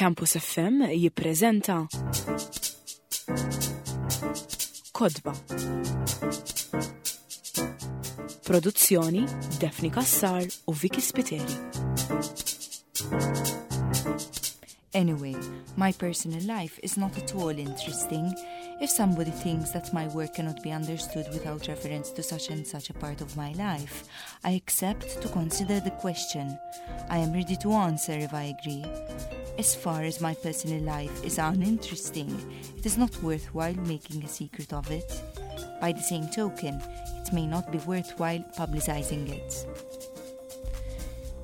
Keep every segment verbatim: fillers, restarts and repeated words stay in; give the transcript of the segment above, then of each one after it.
Campus F M jippreżenta Kotba. Produzzjoni: Daphne Cassar u Vicky Spiteri. Anyway, my personal life is not at all interesting. If somebody thinks that my work cannot be understood without reference to such and such a part of my life, I accept to consider the question. I am ready to answer if I agree. As far as my personal life is uninteresting, it is not worthwhile making a secret of it. By the same token, it may not be worthwhile publicizing it.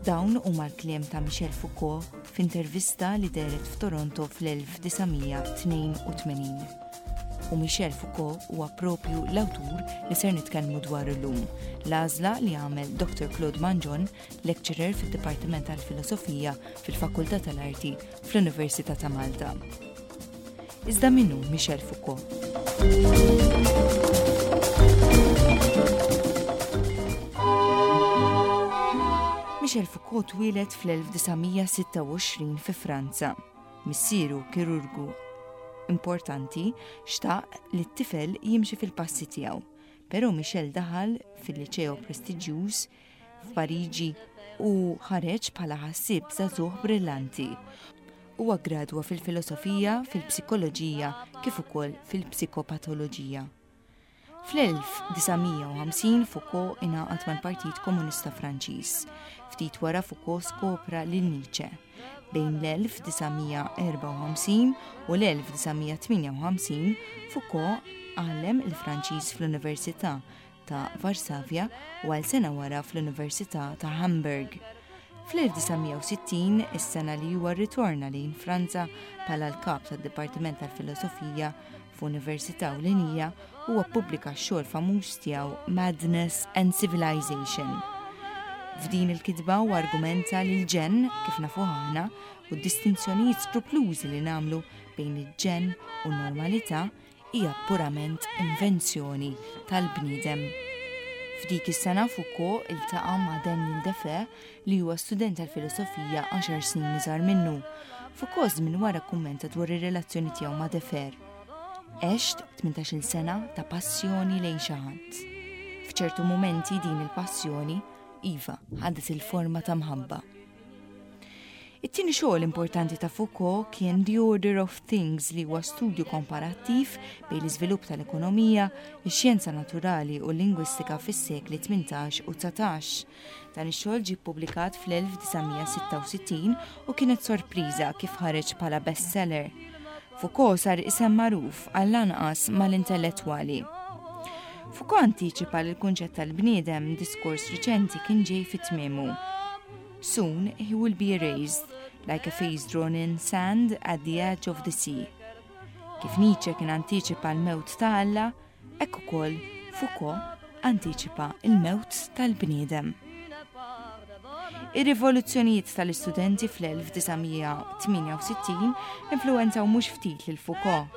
Dawn huma l-kliem ta' Michel Foucault f'intervista li dehret f'Toronto fl-elf disa' mija tnejn u tmenin. U Michel Foucault huwa propju l-awtur li ser nitkellmu dwar illum. L-għażla li għamel Doctor Claude Mangion, lecturer fid-Dipartiment tal-Filosofija fil-Fakultà tal-Arti fl-Università ta' Malta. Iżda min hu Michel Foucault? Michel Foucault twieled fl-elf disa' mija sitta u għoxrin fi Franza. Missieru, kirurgu importanti, xtaq li t-tifel jimxi fil-passi tiegħu. Però Michel daħal fil-liċeo prestiġjuż f'Pariġi u ħareġ bħala ħassieb żagħżugħ brillanti. Huwa gradwa fil-filosofija, fil-psikoloġija kif ukoll fil-psikopatoloġija. Fl-elf disa' mija u ħamsin Foucault ingħaqad mal-Partit Komunista Franċiż. Ftit wara Foucault skopra lil Nietzsche. Bejn l-elf disa' mija erbgħa u ħamsin u l-elf disa' mija tmienja u ħamsin Foucault għallem il-Franċiż fl-Università ta' Varsavja u għal sena wara fl-Università ta' Hamburg. Fl-elf disa' mija u sittin, is-sena li huwa rritorna lejn Franza bħala l-kap tad-Dipartiment tal-Filosofija f'Università Ewlenija, huwa ppubblika x-xogħol famuż tiegħu Madness and Civilization. F'din il-kitba u argumenta li l-ġenn, kif nafu aħna, u d-distinzjonijiet skruplużi li nagħmlu bejn il-ġenn u n-normalità hija purament invenzjoni tal-bniedem. F'dik is-sena Foucault iltaqa' ma' Daniel Defoe, li huwa student tal-filosofija għaxar snin iżgħar minnu. Foucault żmien wara kummenta dwar ir-relazzjoni tiegħu ma' Defoe. "Għext tmintax-il sena ta' passjoni lejn xi ħadd. F'ċertu mumenti din il-passjoni, iva, ħadet il-forma ta' mħabba." It-tieni xogħol importanti ta' Foucault kien The Order of Things, li huwa studju komparattiv bejn l-iżvilupp tal-ekonomija, ix-xjenza naturali u l-lingwistika fis-sekli tmintax u dsatax. Dan ix-xogħol ġie ppubblikat fl-elf disa' mija sitta u sittin u kienet sorpriża kif ħareġ bħala bestseller. Foucault sar isem magħruf għall-anqas mal-intellettwali. Foucault antiċipa li l-kunċett tal-bniedem, diskors riċenti, kien ġej fit-tmiemu. "Soon he will be erased like a face drawn in sand at the edge of the sea." Kif Nietzsche kien antiċipa l-mewt ta' Alla, hekk ukoll Foucault antiċipa l-mewt tal-bniedem. Ir-rivoluzzjonijiet tal-istudenti fl-elf disa' mija tmienja u sittin influenzaw mhux ftit lil Foucault.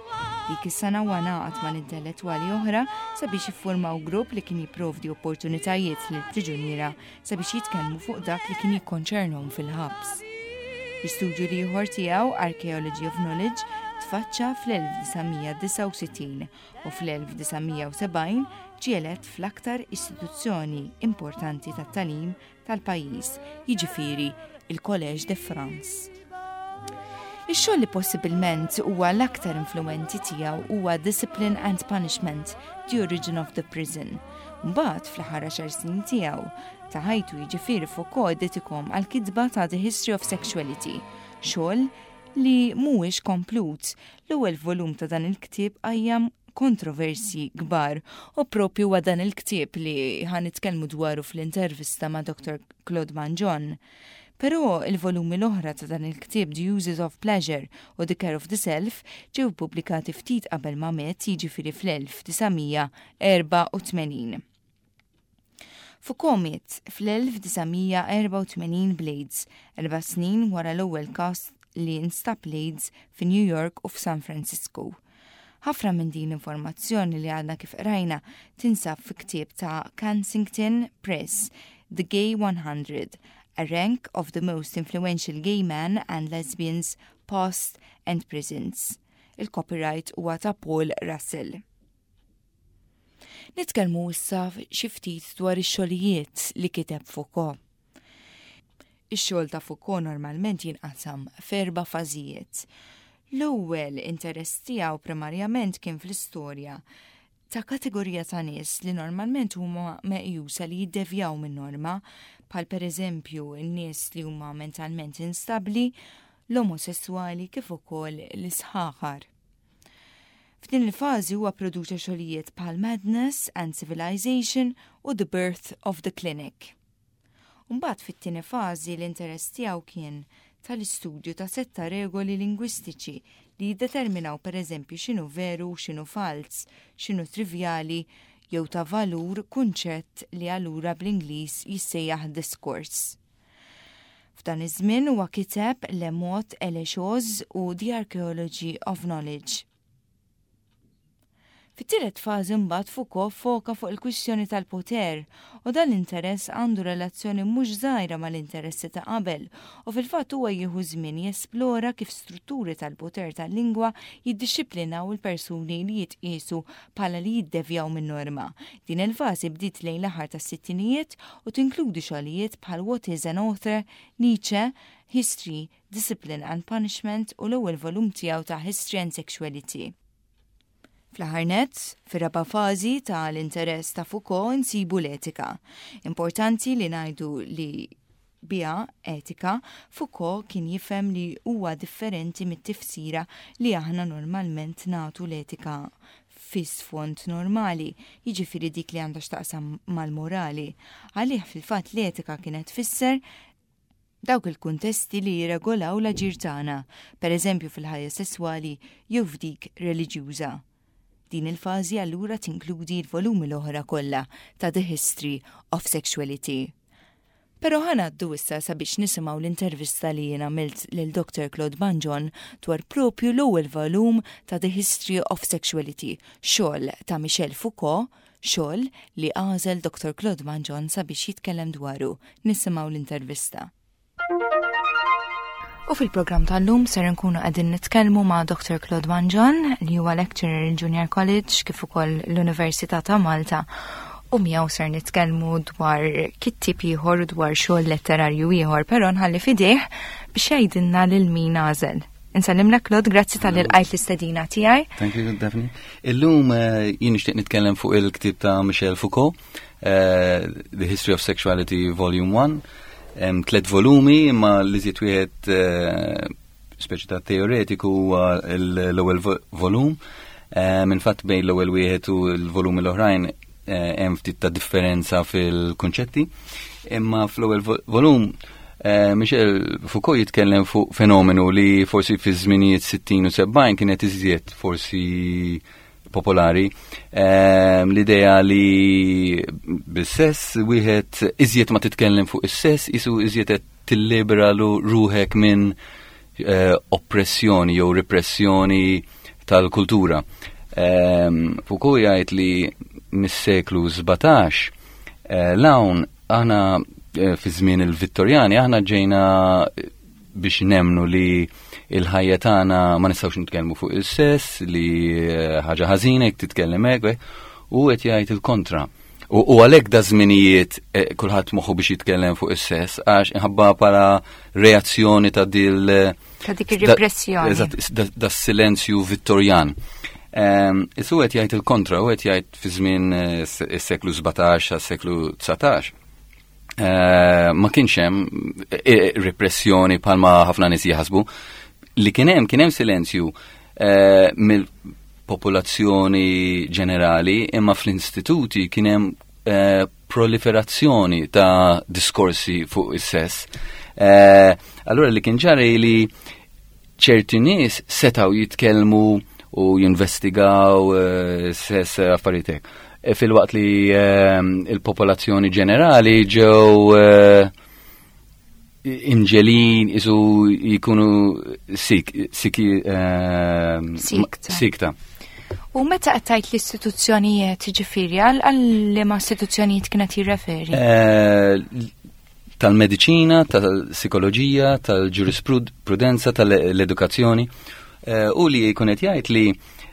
Dik is-sena huwa ngħaqad mal-intellettwali oħra sabiex jiffurmaw grupp li kien jipprovdi opportunitajiet lil priġuniera sabiex jitkellmu fuq dak li kien jikkonċernhom fil-ħabs. L-istudju l-ieħor tiegħu, Archaeology of Knowledge, tfaċċa fl-elf disa' mija disgħa u sittin u fl-elf disa' mija u sebgħin ġie elett fl-aktar istituzzjoni importanti tat-tagħlim tal-pajjiż, jiġifieri il-Collège de France. Ix-xogħol li possibilment huwa l-aktar influenti tiegħu huwa Discipline and Punishment: The Origin of the Prison. Mbagħad fl-aħħar għaxar snin tiegħu ta' ħajtu, jiġifieri, Foucault iddedikahom għall-kitba ta' The History of Sexuality, xogħol li mhuwiex komplut. L-ewwel volum ta' dan il-ktieb qajjem kontroversi kbar u propju huwa dan il-ktieb li ħa nitkellmu dwaru fl-intervista ma' Doctor Claude Mangion. Però il-volumi l-oħra ta' dan il-ktieb, The Uses of Pleasure u The Care of the Self, ġew pubblikati ftit qabel ma miet, jiġifieri fl-elf disa' mija erbgħa u tmenin. Foucault miet fl-elf disa' mija erbgħa u tmenin bl-AIDS, erba' snin wara l-ewwel każ li instab l-AIDS fi New York u f'San Francisco. Ħafna minn din l-informazzjoni li għadna kif qrajna tinsab fi ktieb ta' Kensington Press, The Gay one hundred, a rank of the most influential gay men and lesbians Past and Presents. Il-copyright huwa ta' Paul Russell. Nitkellmu issa xi ftit dwar ix-xogħlijiet li kiteb Foucault. Ix-xogħol ta' Foucault normalment jinqasam f'erba' fażijiet. L-ewwel interess tiegħu primarjament kien fl-istorja ta' kategorija ta' nies li normalment huma meqjusa li jiddevjaw minn norma, bħal pereżempju n-nies li huma mentalment instabbli, l-omosessuali kif ukoll l-isħaħar. F'din il-fażi huwa produċa xogħlijiet bħal Madness and Civilization u The Birth of the Clinic. Mbagħad fit-tieni fażi l-interess tiegħu kien tal-istudju ta' setta regoli lingwistiċi li jiddeterminaw pereżempju x'inhu veru u x'inhu falz, x'inhu trivjali jew ta' valur kunċett li allura bl-Ingliż jissejjaħ discourse. F'dan iż-żmien huwa kiteb Le Mot et les Choses u The Archaeology of Knowledge. Fit-tielet fażi mbagħad Foucault foka fuq il-kwistjoni tal-poter u dan l-interess għandu relazzjoni mhux żgħira mal-interessi ta' qabel u fil-fatt huwa jieħu żmien jesplora kif strutturi tal-poter tal-lingwa jiddixxiplinaw il-persuni li jitqiesu bħala li jiddevjaw minn norma. Din il-fażi bdiet lejn l-aħħar tas-sittinijiet u tinkludi xogħlijiet bħal What is an Author, Nietzsche, History, Discipline and Punishment u l-ewwel volum tiegħu ta' History and Sexuality. Fl-aħħar nett, fir-raba' fażi tal-interess ta' Foucault insibu l-etika. Importanti li ngħidu li biha etika, Foucault kien jifhem li huwa differenti mit-tifsira li aħna normalment nagħtu l-etika fi sfond normali, jiġifieri dik li għandha x'taqsam mal-morali. Għalih fil-fatt l-etika kienet tfisser dawk il-kuntesti li jirregolaw l-aġir tagħna, pereżempju fil-ħajja sesswali jew f'dik reliġjuża. Din il-fażi allura tinkludi l-volumi l-oħra kollha ta' The History of Sexuality. Però ħa ngħaddu issa sabiex nisimgħu l-intervista li jien għamilt lil Dr. Claude Mangion dwar propju l-ewwel volum ta' The History of Sexuality, xogħol ta' Michel Foucault, xogħol li għażel Dr. Claude Mangion sabiex jitkellem dwaru. Nisimgħu l-intervista. U fil-programm tal-lum ser nkunu qegħdin nitkellmu ma' Dr. Claude Mangion li huwa lecturer il-Junior College kif ukoll l-Università ta' Malta u miegħu ser nitkellmu dwar kittieb ieħor u dwar xogħol letterarju ieħor, però nħalli f'idejh biex jgħidilna lil min għażel. Insellimlek Claude, grazzi talli lqajt l-istedina tiegħi. Thank you, Daphne. Illum eh, jien nixtieq nitkellem fuq il-ktieb ta' Michel Foucault, eh, The History of Sexuality Volume one. Hemm tliet volumi imma li żied wieħed eh, speċi ta' teoretiku huwa l-ewwel volum. Minn fatt bejn l-ewwel wieħed u l-volumi l-oħrajn hemm ftit ta' differenza fil-kunċetti. Imma fl-ewwel volum Michel Foucault jitkellem fuq fenomenu li forsi fi żminijiet sittin u sebgħin kienet iżjed forsi popolari. L-idea li bis-sess wieħed iżjed ma titkellem fuq is-sess isu iżjed qed tillibera ruħek minn oppressjoni jew repressjoni tal-kultura. Foucault jgħid li mis-seklu sbatax l-hawn aħna fi żmien il-Vittorjani aħna ġejna biex nemnu li il-ħajja tagħna ma nistgħux nitkellmu fuq il-sess, li ħaġa ħażina jekk titkellem hekk, u qed jgħid il-kontra. U għalhekk da żminijiet kulħadd moħħu biex jitkellem fuq is-sess għax inħabba bħala reazzjoni ta' dil ta' dik ir-repressjoni. Eżatt, da silenzju Vittorjan. Isu qed jgħid il-kontra, u qed jgħid fi żmien is-seklu sbatax għas-seklu dsatax. Ma kienx hemm repressjoni bħalma ħafna nies jaħsbu. Li kien hemm, kien hemm silenzju mill-popolazzjoni ġenerali, imma fl-istituti kien hemm proliferazzjoni ta' diskorsi fuq is-sess. Allura li kien ġari li ċerti nies setgħu jitkellmu u jinvestigaw sess affarijiet hekk. Filwaqt li il-popolazzjoni ġenerali ġew imġelin isu jkunu sik, siki, Sikta. sikta. U meta qed tgħid l-istituzzjonijiet, ġifieri, għal, għal liema istituzzjonijiet kienet jirreferi? Eh, tal-mediċina, tal-psikoloġija, tal-ġurisprudenza, tal-edukazzjoni, eh, u li jkun qed jgħid li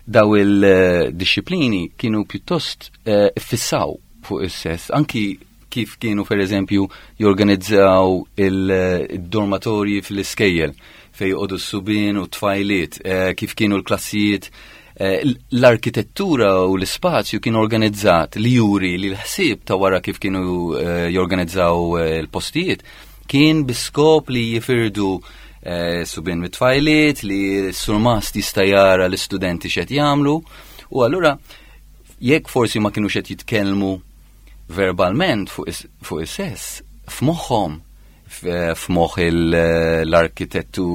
daw il-disciplini kienu pjuttost eh, fissaw fuq is-sess, anki kif kienu per eżempju jorganizzaw il-dormatorji fl-iskejjel fej joqogħdu s-subien u tfajliet, eh, kif kienu l-klassijiet, eh, l-arkitettura u l-ispazju kien organizzat li juri li l-ħsieb ta' wara kif kienu eh, jorganizzaw l-postijiet kien biskop li jifirdu subien mit-tfajliet, li s-surmast jista' jara l-istudenti x'qed jagħmlu, u allura jekk forsi ma kinux qed jitkellmu verbalment fuq is-sess, f'moħħhom, f'moħħ l-arkitettu,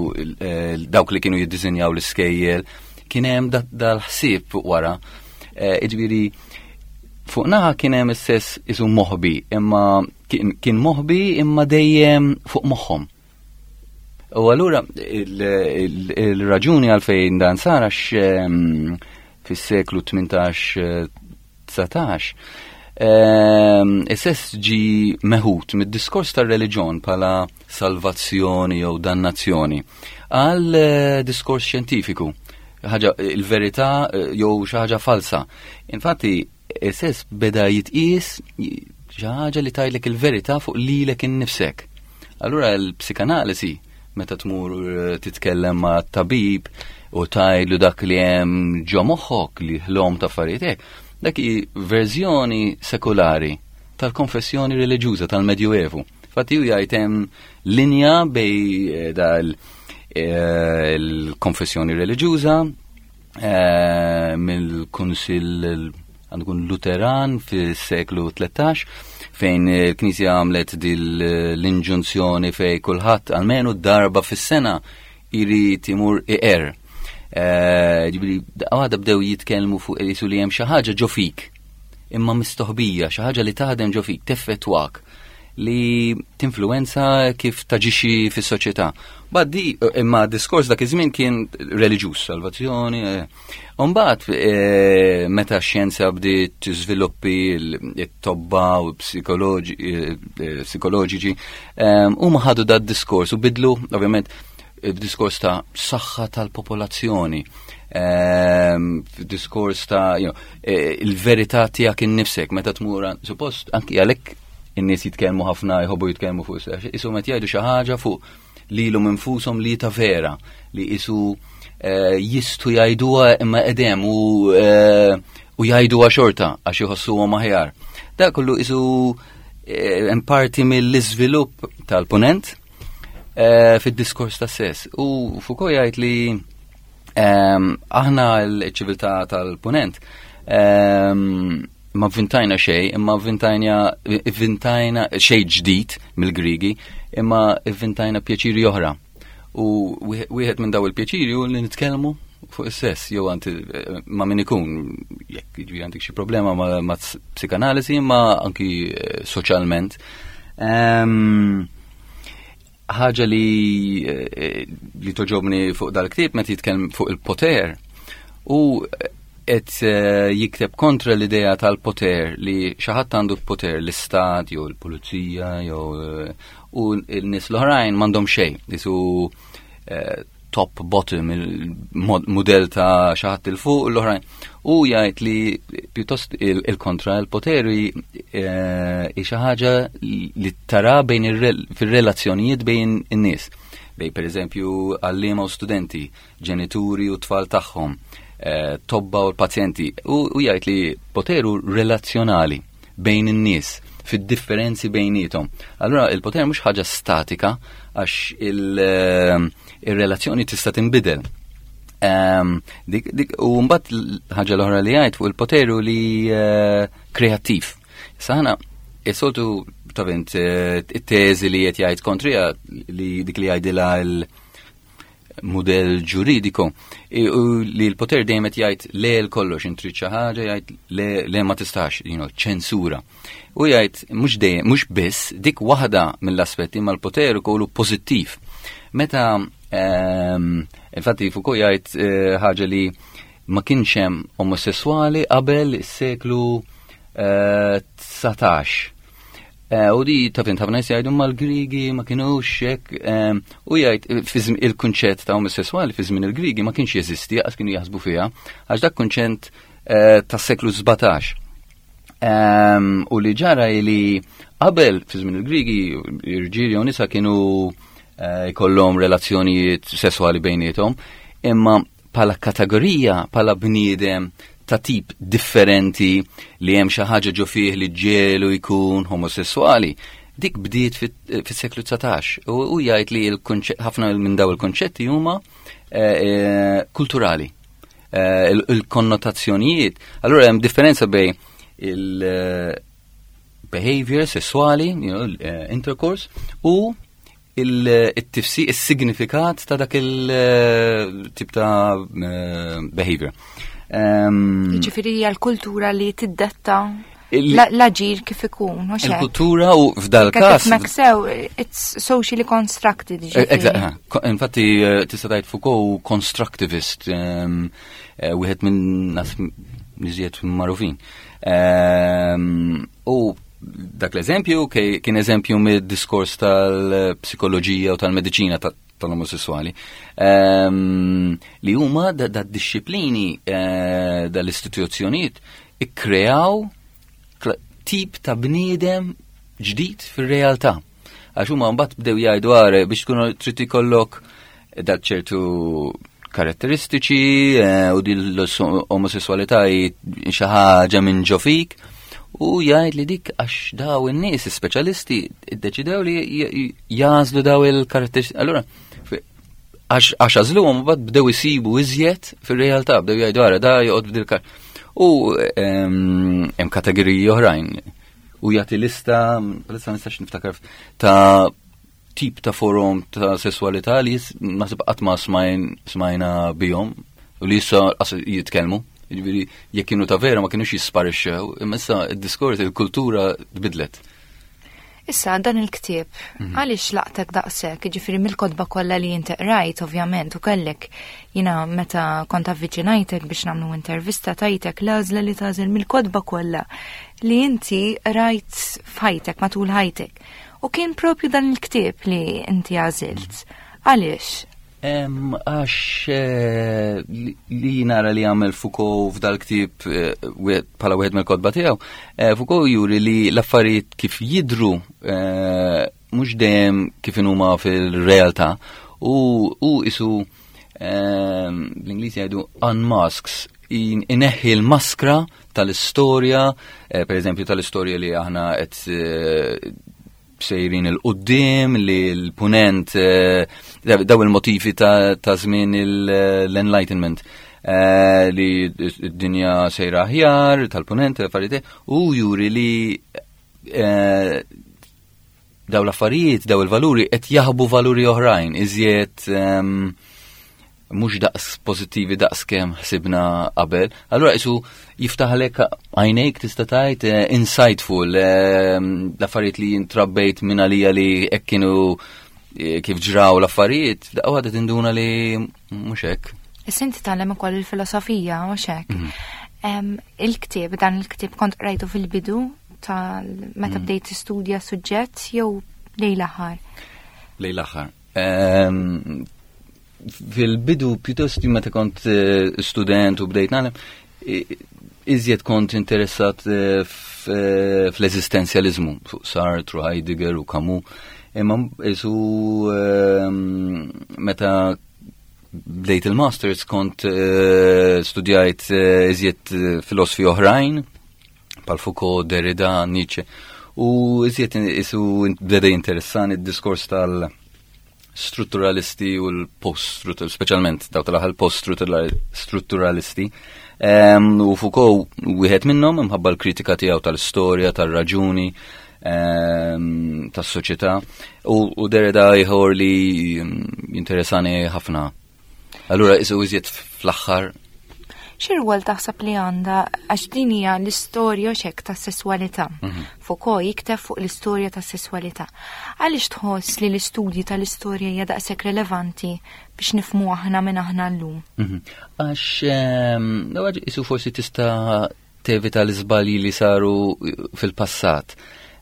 dawk li kienu jiddisinjaw l-iskejjel, kien hemm dal-ħsieb fuq wara. Jiġifieri fuq naħa kien hemm is-sess isu moħbi, imma kien moħbi imma dejjem fuq moħħhom. U allura il-raġuni għalfejn dan sar għax fis-seklu tmintax dsatax is-sess ġi meħud mid-diskors tar-reliġjon bħala salvazzjoni jew dannazzjoni għal diskors xjentifiku, ħaġa il-verità jew xi ħaġa falsa. Infatti is-sess beda jitqies xi ħaġa li tgħidlek il-verità fuq lilek innifsek. Allura l-psikanalisi, meta tmur titkellem ma' tabib u tgħidlu dak li hemm ġo moħħok li ħlom ta' affarijiet hekk, dak hi verżjoni sekulari tal-konfessjoni reliġjuża tal-Medjuevu. Infatti hu jgħid hemm linja bej dal il-konfessjoni reliġjuża mill-Kunsill għandu kun Luteran fis-seklu tlettax, fejn il-Knisja għamlet dil l-inġunzjoni fej kulħadd almenu darba fis-sena jrid imur iqer. Ġifieri għada bdew jitkellmu fuq jisu li hemm xi ħaġa ġo fik, imma mistoħbija, xi ħaġa li taħdem ġo fik, teffettwak, li tinfluwenza kif taġixxi fis-soċjetà. Baddi, imma diskors dak iż-żmien kien reliġjuż, salvazzjoni. U mbagħad meta x-xjenza bdiet tiżviluppi t-tobba u psikoloġiċi, huma ħadu dat diskors u bidlu, ovvjament, diskors ta' saħħa tal-popolazzjoni, diskors ta' il-verità tiegħek innifsek, meta tmur, suppost, anki għalhekk in-nies jitkellmu ħafna, jħobbu jitkellmu fuq is-sess, isu meta jgħidu xi ħaġa fuq lilhom infushom li ta' vera, li isu jistu jgħiduha imma qedem u u jgħiduha xorta għax iħossuhom aħjar. Dak kollu isu hemm parti mill-iżvilupp tal-punent fid-diskors ta' sess. U Foucault jgħid li aħna l-ċiviltà tal-punent ma vvintajna xejn, imma vvintajna vvintajna xejn ġdid mill-Grigi, imma vvintajna pjaċiri oħra. U wieħed minn daw il-pjaċiri hu li nitkellmu fuq is-sess, jew anti ma' min ikun, jekk jiġri għandek xi problema ma', ma' psikanalisi, imma anki soċjalment. Ħaġa li li toġobni fuq dal-ktieb meta jitkellem fuq il-poter, u qed jikteb kontra l-idea tal-poter li xi ħadd għandu poter, l-istat jew l-pulizija jew u n-nies l-oħrajn m'għandhom xejn, isu top bottom, il-modell ta' xi ħadd il fuq l-oħrajn. U jgħid li pjuttost il-kontra, il-poter hi xi ħaġa li tara bejn fir-relazzjonijiet bejn in-nies. Bej pereżempju għalliema u studenti, ġenituri u tfal tagħhom, tobba u l-pazjenti. U jgħid li poteru relazzjonali bejn in-nies, fid-differenzi bejnietom. Allura il-poter mhux ħaġa statika għax il-relazzjoni tista' tinbidel. Dik, u mbagħad ħaġa l-oħra li jgħid fuq il-poteru li kreattiv. Issa aħna is-soltu tavint it-teżi li qed jgħid kontrija li dik li jgħidilha il-mudell ġuridiku, u li l-poter dejjem qed jgħid le l kollox, intrid xi ħaġa jgħid le, le ma tistax, you know, ċensura. U jgħid mhux dejjem, mhux biss dik waħda mill-aspetti, ma l-poter ukollu pożittiv. Meta infatti Foucault jgħid ħaġa li ma kienx hemm omosessuali qabel is-seklu dsatax. Eh, u di taf int ħafna jgħidu mal-Grigi ma kienux hekk, ehm, u jgħid il-kunċett ta' omosessuali fi żmien il-Grigi ma kienx jeżisti, għax kienu jaħsbu fiha, għax dak kunċett eh, tas-seklu sbatax. Ehm, u li ġara li qabel fi żmien il-Grigi irġiel u nisa kienu eh, jkollhom relazzjonijiet sessuali bejniethom, imma bħala kategorija, bħala bniedem ta' tip differenti li hemm xi ħaġa ġo fih li ġelu jkun homosessuali, dik bdiet fis-seklu dsatax. U jgħid li ħafna minn daw il-konċetti huma eh, eh, kulturali. Eh, il-konnotazzjonijiet. Allura hemm differenza bejn il-behavior sessuali, you know, intercourse, u il-tifsi, il-signifikat ta' dak il-tip ta' behavior. Ġifieri hija l-kultura li tiddetta l-aġir kif ikun. Il-kultura u f'dal każ. Sew, it's socially constructed. Eżatt, infatti eh, tista' tgħid Foucault constructivist, eh, wieħed minn nas iżjed magħrufin. U dak l-eżempju kien eżempju mid-diskors tal-psikoloġija u tal-mediċina tal-omosessuali li huma da disċiplini eh, dal-istituzzjonijiet ikkreaw tip ta' bniedem ġdid fir-realtà. Għax huma mbagħad bdew jgħidu għare biex tkunu trid ikollok dak ċertu karatteristiċi eh, u din l-omosessualità xi ħaġa minn ġo fik u jgħid li dik għax daw in-nies speċjalisti iddeċidew li jagħżlu daw il-karatteristiċi. Allura għax għażluhom mbagħad bdew isibu iżjed fir-realtà, bdew jgħidu ara da joqgħod b'dil U hemm kategoriji oħrajn. U jagħti lista, lista nistax niftakar ta' tip ta' forom ta' sessualità li naħseb qatt ma smajna bihom u li issa jitkellmu. Jiġifieri jekk kienu ta' vera ma kienux jisparixxew, imma issa id-diskors, il-kultura tbidlet. Issa dan il-ktieb, mhm. għaliex laqtek daqshekk, ġifieri mill-kotba kollha li inti qrajt ovvjament u kellek jiena meta kont avviċinajtek biex nagħmlu intervista tajtek l-għażla li tagħżel mill-kotba kollha li inti rajt f'ħajtek matul ħajtek. U kien propju dan il-ktieb li inti għażilt. Għaliex? Għax eh, li nara li għamel Foucault f'dal ktieb eh, bħala wieħed mill-kotba tiegħu, eh, Foucault juri li l-affarijiet kif jidru mhux dejjem kif huma fil-realtà u u isu bl-Ingliż jgħidu unmasks, ineħħi l-maskra tal-istorja, per eżempju tal-istorja li aħna qed sejrin 'il quddiem li l-punent eh, daw il-motivi ta' żmien l-Enlightenment eh, li d-dinja sejra aħjar tal-punent affarijiet u juri li eh, daw l-affarijiet, daw il-valuri qed jaħbu valuri oħrajn, iżjed ehm, mhux daqs pożittivi daqs kemm ħsibna qabel. Allura isu jiftaħlek għajnejk tista' tgħid eh, insightful eh, l-affarijiet li jintrabbejt minn għalija li hekk kienu eh, kif ġraw l-affarijiet, daqqa waħda tinduna li mhux hekk. Issa inti tgħallem ukoll il-filosofija u hekk. Mhm. Il-ktieb, dan il-ktieb kont qrajtu fil-bidu tal meta mhm. bdejt tistudja suġġett jew lejn l-aħħar? Lejn l-aħħar. Fil-bidu pjuttost meta kont eh, student u bdejt nagħlem, iżjed kont interessat eh, eh, fl-eżistenzjalizmu, fuq Sartre, Heidegger u Camus. Imma isu ehm, meta bdejt il-masters kont studjajt iżjed filosofi oħrajn, bħal Foucault, Derrida, Nietzsche, u iżjed isu bdeda jinteressani id-diskors tal- strutturalisti u l-post-strutturalisti, specialment daw tal-aħħar post-strutturalisti. U Foucault wieħed minnhom imħabba l-kritika tiegħu tal-istorja, tal-raġuni, tas-soċjetà u Derrida ieħor li jinteressani ħafna. Allura isu iżjed fl-aħħar. X'irwol taħseb li għandha għax din hija l-istorja xek ta' sessualità. Mhm. Foucault jikteb fuq l-istorja ta' sessualità. Għaliex tħoss li l-istudji tal-istorja hija daqshekk relevanti biex nifhmu aħna minn aħna llum? Mhm. Għax ehm, isu forsi tista' tevita l-iżbalji li saru fil-passat.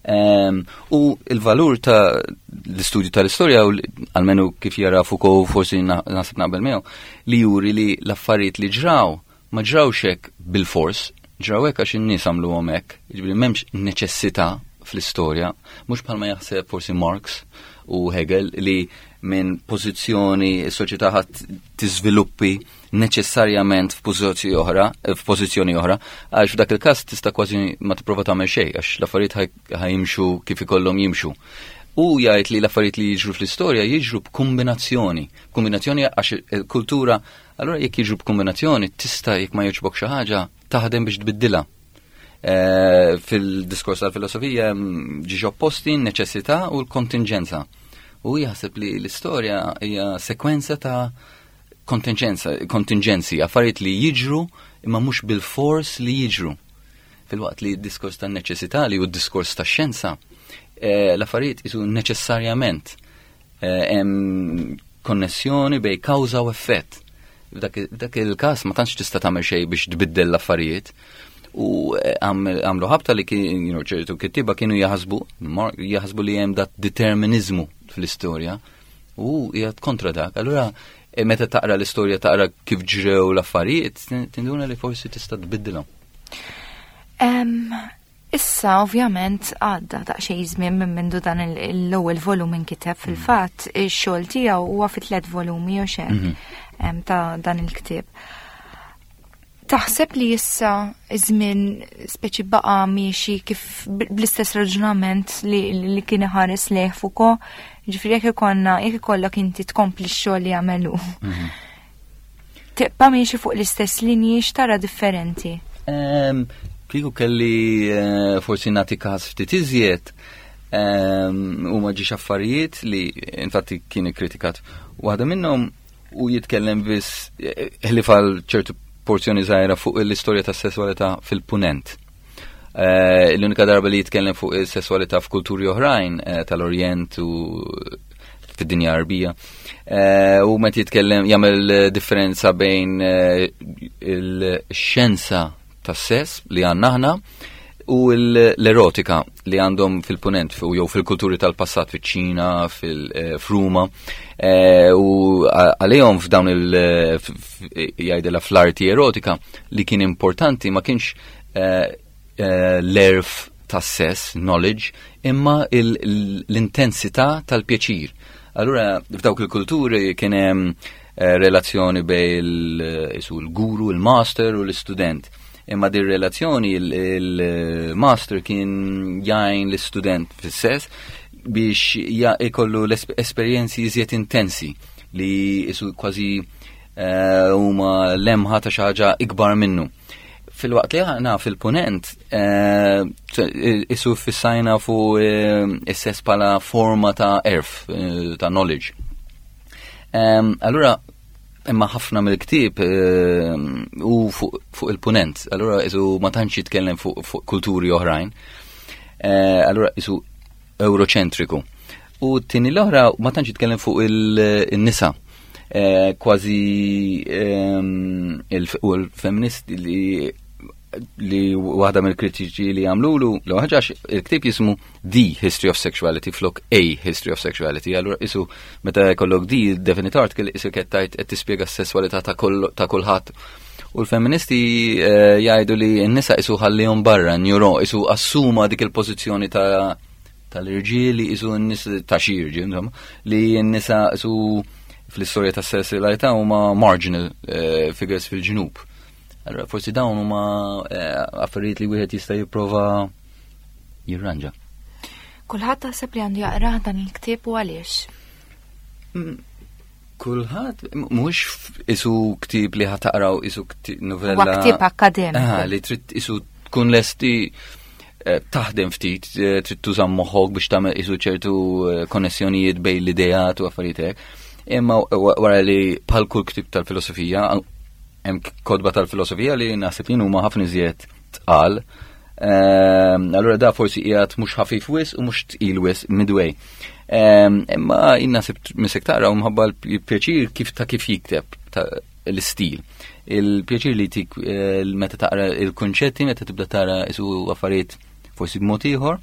Ehm, u il-valur ta' l-istudju tal-istorja, u almenu kif jara Foucault, forsi naħseb naqbel miegħu, li juri li l-affarijiet li ġraw ma ġrawx hekk bil-fors, ġraw hekk għax in-nies għamluhom hekk, jiġifieri m'hemmx neċessità fl-istorja, mhux bħalma jaħseb forsi Marx u Hegel li minn pożizzjoni s-soċjetà ħadd tiżviluppi neċessarjament f'pożizzjoni oħra, f'pożizzjoni oħra, għax f'dak il-każ tista' kważi ma tipprova tagħmel xejn għax l-affarijiet ħa jimxu kif ikollhom jimxu. U jgħid li l-affarijiet li jiġru fl-istorja jiġru b'kombinazzjoni, kombinazzjoni għax il-kultura, allura jekk jiġru b'kombinazzjoni tista' jekk ma jogħġbok xi ħaġa taħdem biex tbiddilha. Eh, fil-diskors tal-filosofija ġiġ opposti n-neċessità u l-kontingenza. U jaħseb li l-istorja hija sekwenza ta' kontingenza, kontingenzi, affarijiet li jiġru imma mhux bil-fors li jiġru. Filwaqt li d-diskors ta' neċessità li hu d-diskors ta' xjenza, eh, l-affarijiet isu neċessarjament eh, hemm konnessjoni bejn kawża u effett. F'dak il-każ ma tantx tista' tagħmel xejn biex tbiddel l-affarijiet. U eh, għamlu ħabta li kien, you know, ċertu kittiba kienu jaħsbu, jaħsbu li hemm dat determinizmu fl-istorja u jgħid kontra dak. Allura eh, meta taqra l-istorja taqra kif ġrew l-affarijiet, tinduna li forsi tista' tbiddilhom. Issa ovvjament għadda daqsxejn żmien minn mindu dan l-ewwel volum inkiteb fil-fatt ix-xogħol tiegħu huwa fi tliet volumi u xejn mhm. ta' dan il-ktieb. Taħseb li issa iż-żmien speċi baqa' miexi kif bl-istess raġunament li, li kien iħares lejh Foucault, ġifieri jekk ikollna jekk ikollok inti tkompli x-xogħol li għamelu. Mhm. Tibqa' miexi fuq l-istess linji x'tara differenti? Kieku kelli eh, forsi nagħti każ ftit iżjed, u ma ġiex affarijiet li infatti kien ikkritikat. Waħda minnhom u jitkellem biss eh, ħlief għal ċertu porzjoni żgħira fuq l-istorja tas-sesswalità fil-punent. Eh, l-unika darba li jitkellem fuq is-sesswalità f'kulturi oħrajn tal-Orjent u fid-dinja Arbija. U meta jitkellem jagħmel differenza bejn il-xjenza tas-sess li għandna aħna u l-erotika li għandhom fil-punent jew fil-kulturi tal-passat fiċ-Ċina, fil-Ruma. Eh, u għalihom f'dawn il jgħidilha fl-arti erotika li kien importanti ma kienx eh, eh, l-għerf tas-sess, knowledge, imma l-intensità tal-pjaċir. Allura f'dawk il-kulturi kien hemm relazzjoni bejn il-guru, il-master u l-istudent imma din relazzjoni il-master kien jgħin l-istudent fis-sess biex ikollu l-esperjenzi iżjed intensi li isu kważi eh, huma lemħa ta' xi ħaġa ikbar minnu. Filwaqt li aħna fil-punent eh, isu fissajna fuq eh, is-sess bħala forma ta' għerf, ta' knowledge. Allura imma ħafna mill-ktieb eh, u fuq il-punent, allura isu ma tantx jitkellem fuq kulturi oħrajn. Eh, allura isu euroċentriku. U t-tieni l-oħra ma tantx jitkellem fuq il-nisa. Eh, kważi ehm, u l-feministi li li waħda mill-kritiċi li għamlulu, l ħaġa il-ktieb jismu The History of Sexuality flok A History of Sexuality. Allura isu meta jkollok The definite article isu qed tgħid qed tispjega s-sesswalità ta' kulħadd. U l-feministi eh, jgħidu li n-nisa isu ħallihom barra, njuro, isu assuma dik il-pożizzjoni ta' tal-irġieli, isu n-nisa ta' xi irġiel, insomma, li n-nisa isu fl-istorja tas-sesswalità huma marginal eh, figures fil-ġnub. Allora, forsi dawn huma eh, affarijiet li wieħed jista' jipprova jirranġa. Kulħadd taħseb li għandu jaqrah dan il-ktieb u għaliex? Mm, kulħadd mhux isu ktieb li ħa taqraw isu novella. Huwa ktieb akademiku. Ah, li trid isu tkun lesti eh, taħdem ftit, eh, trid tuża moħħok biex tagħmel isu ċertu konnessjonijiet bejn l-ideat u affarijiet hekk. Imma wara li bħal kull ktieb tal-filosofija, hemm kotba tal-filosofija li naħseb jien huma ħafna iżjed tqal. Ehm, allura da forsi qiegħed mhux ħafif wis u mhux tqil wis midway. Ehm, imma jien naħseb misek taqra u mħabba l-pjaċir kif ta' kif jikteb l-istil. Il-pjaċir li tik eh, meta taqra il-konċetti, meta tibda tara isu affarijiet forsi b'mod ieħor.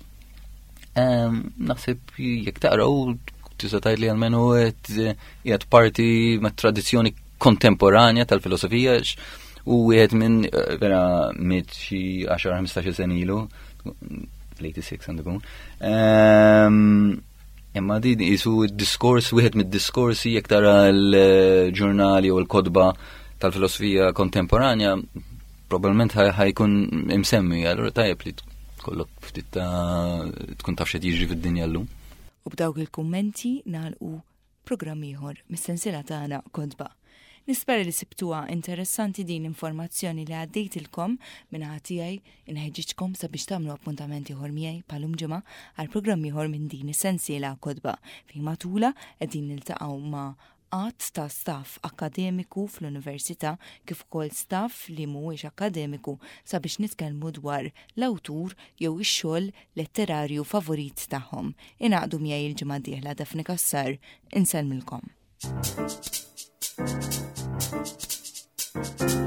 Naħseb jekk taqraw tista' tgħid li almenu qiegħed parti mat-tradizzjoni kontemporanja tal-filosofija u wieħed minn eh, vera miet xi għaxar ħmistax-il sena ilu, fl-tmienja u disgħin għandu jkun. Imma di jisu diskors, wieħed mid-diskorsi, jekk tara l-ġurnali u l-kotba tal-filosofija kontemporanja, probabbilment ħa jkun imsemmi, allura tajjeb li kollok ftit ta' tkun taf x'qed jiġri fid-dinja llum. U b'dawk il-kummenti nagħlqu programm ieħor mis-sensiela tagħna Kotba. Nispera li sibtuha interessanti din l-informazzjoni li għaddejtilkom. Min-naħa tiegħi inħeġġiġkom sabiex tagħmlu appuntament ieħor miegħi bħal-lum ġimgħa għal programm ieħor minn din is-sensiela Kotba, fejn matula qegħdin niltaqgħu ma' għadd ta' staff akademiku fl-università kif ukoll staff li mhuwiex akademiku sabiex nitkellmu dwar l-awtur jew ix-xogħol letterarju favorit tagħhom. Ingħaqdu miegħi il-ġimgħa d-dieħla. Daphne Cassar, insellmilkom. Thank you.